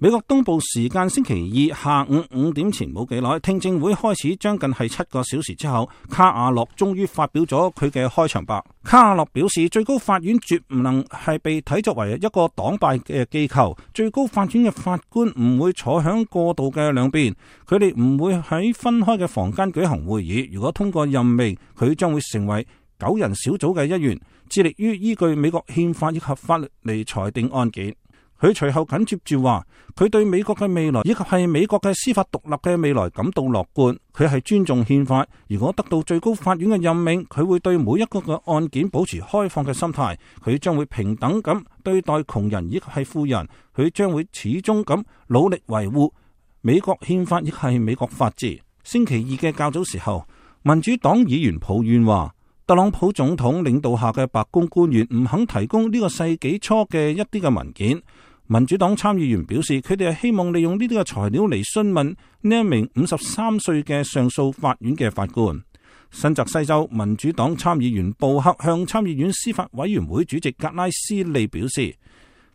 美國東部時間星期二下午5點前冇幾耐，聽證會開始將近係7個小時之後，卡瓦諾終於發表咗佢嘅開場白。卡瓦諾表示，最高法院絕唔能係被睇作為一個黨派嘅機構，最高法院嘅法官唔會坐響過道嘅兩邊，佢哋唔會喺分開嘅房間舉行會議。如果通過任命，佢將會成為9人小組嘅一員，致力於依據美國憲法以及法律嚟裁定案件。佢隨後緊接住話，佢對美國嘅未來以及係美國嘅司法獨立嘅未來感到樂觀。佢係尊重憲法，如果得到最高法院嘅任命，佢會對每一個嘅案件保持開放嘅心態。佢將會平等咁對待窮人以及係富人。佢將會始終咁努力維護美國憲法亦係美國法治。星期二嘅較早時候，民主黨議員抱怨話，特朗普總統領導下嘅白宮官員唔肯提供呢個世紀初嘅一啲嘅文件。民主黨參議員表示，佢哋係希望利用呢啲嘅材料嚟詢問呢一名53歲嘅上訴法院嘅法官。新澤西州民主黨參議員布克向參議院司法委員會主席格拉斯利表示，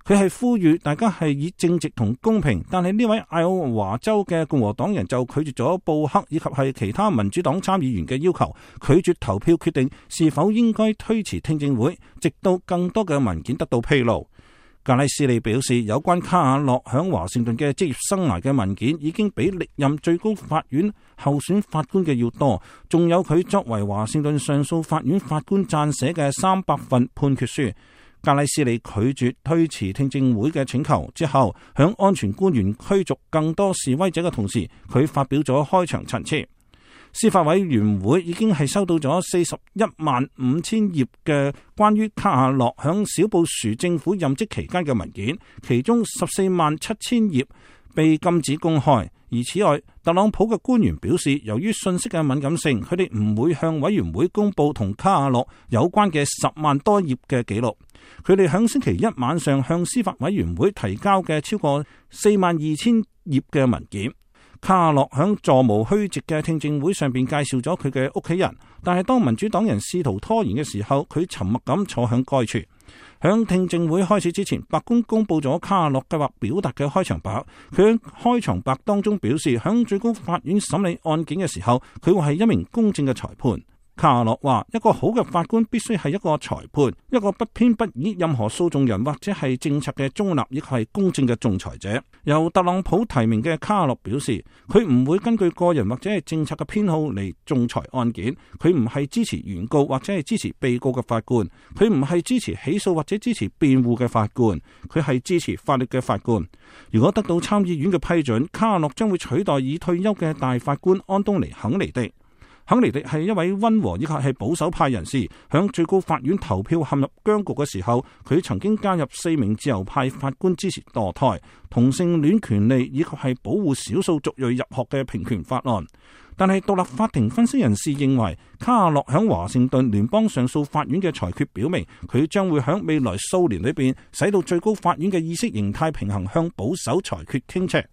佢係呼籲大家係以正直同公平，但係呢位愛奧華州嘅共和黨人就拒絕咗布克以及係其他民主黨參議員嘅要求，拒絕投票決定是否應該推遲聽證會，直到更多嘅文件得到披露。格拉斯利表示，有關卡瓦諾響華盛頓嘅職業生涯嘅文件已經比歷任最高法院候選法官嘅要多，仲有佢作為華盛頓上訴法院法官撰寫嘅300份判決書。格拉斯利拒絕推遲聽證會嘅請求之後，響安全官員驅逐更多示威者嘅同時，佢發表咗開場陳詞。司法委員會已經係收到咗415000頁嘅關於卡瓦諾響小布殊政府任職期間嘅文件，其中147000頁被禁止公開。而此外，特朗普嘅官員表示，由於信息嘅敏感性，佢哋唔會向委員會公佈同卡瓦諾有關嘅10萬多頁嘅記錄。佢哋響星期一晚上向司法委員會提交嘅超過42000頁嘅文件。卡瓦諾響座無虛席嘅聽證會上邊介紹咗佢嘅屋企人，但係當民主黨人試圖拖延嘅時候，佢沉默咁坐響該處。響聽證會開始之前，白宮公布咗卡瓦諾計劃表達嘅開場白。佢喺開場白當中表示，響最高法院審理案件嘅時候，佢會係一名公正嘅裁判。卡瓦諾話，一個好嘅法官必須係一個裁判，一個不偏不倚任何訴訟人或者係政策嘅中立，亦係公正嘅仲裁者。由特朗普提名嘅卡瓦諾表示，佢唔會根據個人或者係政策嘅偏好嚟仲裁案件。佢唔係支持原告或者係支持被告嘅法官，佢唔係支持起訴或者支持辯護嘅法官，佢係支持法律嘅法官。如果得到參議院嘅批准，卡瓦諾將會取代已退休嘅大法官安東尼肯尼迪。肯尼迪係一位溫和以及係保守派人士，響最高法院投票陷入僵局嘅時候，佢曾經加入4名自由派法官支持墮胎、同性戀權利以及係保護少數族裔入學嘅平權法案。但係獨立法庭分析人士認為，卡瓦諾響華盛頓聯邦上訴法院嘅裁決表明，佢將會響未來數年裏邊使到最高法院嘅意識形態平衡向保守裁決傾斜。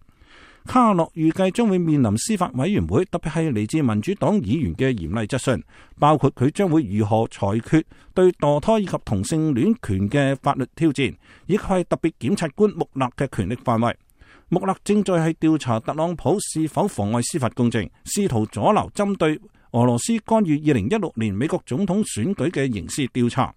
卡瓦諾預計將會面臨司法委員會，特別係嚟自民主黨議員嘅嚴厲質詢，包括佢將會如何裁決對墮胎以及同性戀權嘅法律挑戰，以及係特別檢察官穆勒嘅權力範圍。穆勒正在係調查特朗普是否妨礙司法公正，試圖阻撓針對俄羅斯干預2016年美國總統選舉嘅刑事調查。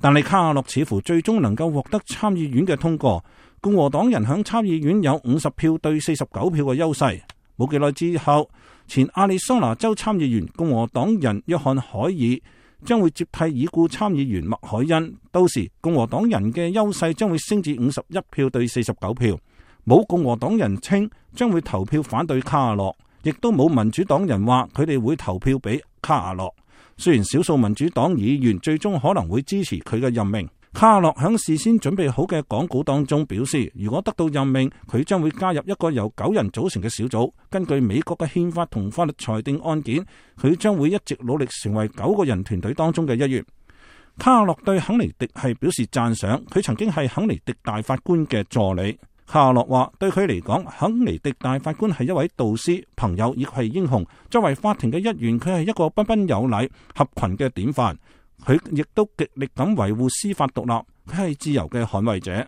但係卡瓦諾似乎最終能夠獲得參議院嘅通過。共和黨人響參議院有50票對49票嘅優勢。冇幾耐之後，前亞利桑那州參議員共和黨人約翰海爾將會接替已故參議員麥凱恩，到時共和黨人嘅優勢將會升至51票對49票。冇共和黨人稱將會投票反對卡瓦諾，亦都冇民主黨人話佢哋會投票俾卡瓦諾。雖然少數民主黨議員最終可能會支持佢嘅任命。卡瓦諾響事先準備好嘅講稿當中表示，如果得到任命，佢將會加入一個由9人組成嘅小組，根據美國嘅憲法同法律裁定案件，佢將會一直努力成為9個人團隊當中嘅一員。卡瓦諾對肯尼迪係表示讚賞，佢曾經係肯尼迪大法官嘅助理。卡瓦諾話，對佢嚟講，肯尼迪大法官係一位導師、朋友，亦係英雄。作為法庭嘅一員，佢係一個彬彬有禮、合群嘅典範。佢亦都極力咁維護司法獨立，佢係自由嘅捍衛者。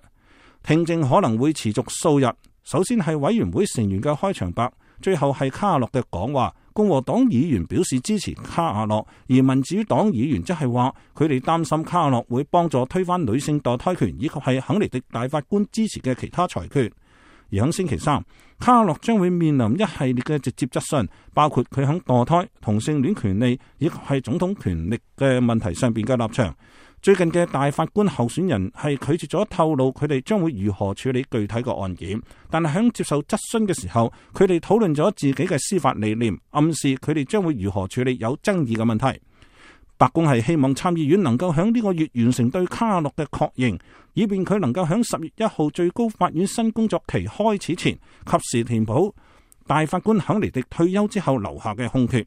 聽證可能會持續數日，首先係委員會成員嘅開場白，最後係卡洛嘅講話。共和黨議員表示支持卡瓦諾，而民主黨議員則係話佢哋擔心卡瓦諾會幫助推翻女性墮胎權，以及係肯尼迪大法官支持嘅其他裁決。而喺星期三，卡瓦諾將會面臨一系列嘅直接質詢，包括佢喺墮胎、同性戀權利以及係總統權力嘅問題上邊嘅立場。最近嘅大法官候選人係拒絕咗透露佢哋將會如何處理具體嘅案件，但係喺接受質詢嘅時候，佢哋討論咗自己嘅司法理念，暗示佢哋將會如何處理有爭議嘅問題。白宮係希望參議院能夠喺呢個月完成對卡洛嘅確認，以便佢能夠喺10月1號最高法院新工作期開始前，及時填補大法官肯尼迪退休之後留下嘅空缺。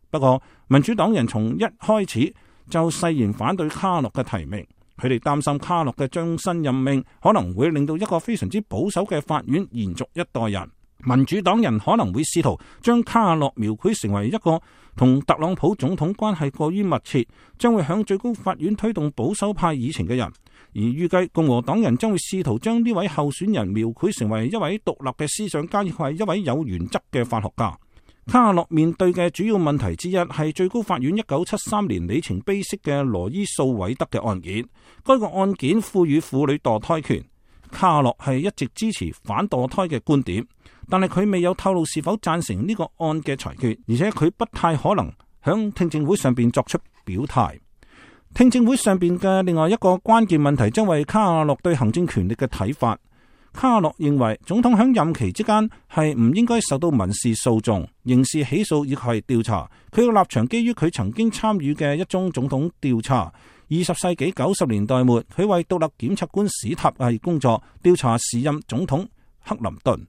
不過，民主黨人從一開始就誓言反對卡洛嘅提名，佢哋擔心卡洛嘅終身任命可能會令到一個非常之保守嘅法院延續一代人。民主黨人可能會試圖將卡洛描繪成為一個同特朗普總統關係過於密切，將會向最高法院推動保守派議程嘅人。而預計共和黨人將會試圖將呢位候選人描繪成為一位獨立嘅思想家，亦係一位有原則嘅法學家。卡洛面對嘅主要問題之一係最高法院1973年里程碑式嘅羅伊訴韋德嘅案件。該個案件賦予婦女墮胎權，卡洛係一直支持反墮胎嘅觀點，但係佢未有透露是否贊成呢個案嘅裁決，而且佢不太可能響聽證會上邊作出表態。聽證會上邊嘅另外一個關鍵問題將為卡洛對行政權力嘅睇法。卡洛認為總統響任期之間係唔應該受到民事訴訟、刑事起訴以及係調查。佢嘅立場基於佢曾經參與嘅一宗總統調查。20世紀90年代末，佢為獨立檢察官史塔係工作，調查時任總統克林頓。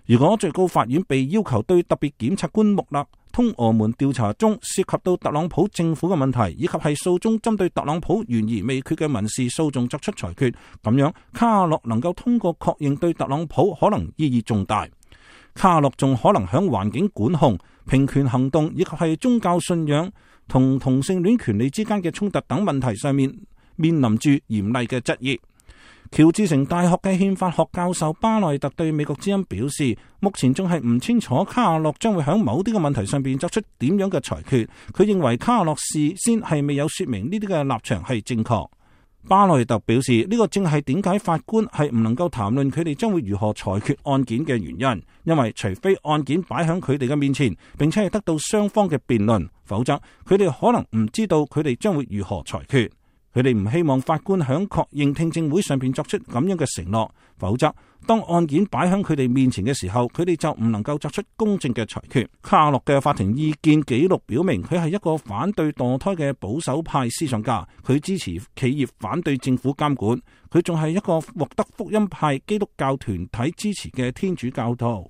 如果最高法院被要求對特別檢察官穆勒通俄門調查中涉及到特朗普政府嘅問題，以及係訴中針對特朗普懸而未決嘅民事訴訟作出裁決，咁樣卡洛能夠通過確認對特朗普可能意義重大。卡洛仲可能響環境管控、平權行動以及係宗教信仰同同性戀權利之間嘅衝突等問題上面臨住嚴厲嘅質疑。喬治城大學嘅憲法學教授巴內特對美國之音表示，目前仲係唔清楚卡洛將會喺某啲嘅問題上邊作出點樣嘅裁決。佢認為卡洛事先係未有說明呢啲嘅立場係正確。巴內特表示，呢個正係點解法官係唔能夠談論佢哋將會如何裁決案件嘅原因，因為除非案件擺喺佢哋嘅面前，並且係得到雙方嘅辯論，否則佢哋可能唔知道佢哋將會如何裁決。佢哋唔希望法官響確認聽證會上邊作出咁樣嘅承諾，否則當案件擺喺佢哋面前嘅時候，佢哋就唔能夠作出公正嘅裁決。卡洛嘅法庭意見記錄表明，佢係一個反對墮胎嘅保守派思想家，佢支持企業反對政府監管，佢仲係一個獲得福音派基督教團體支持嘅天主教徒。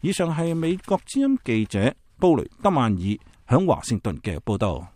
以上係美國之音記者布雷德曼爾響華盛頓嘅報道。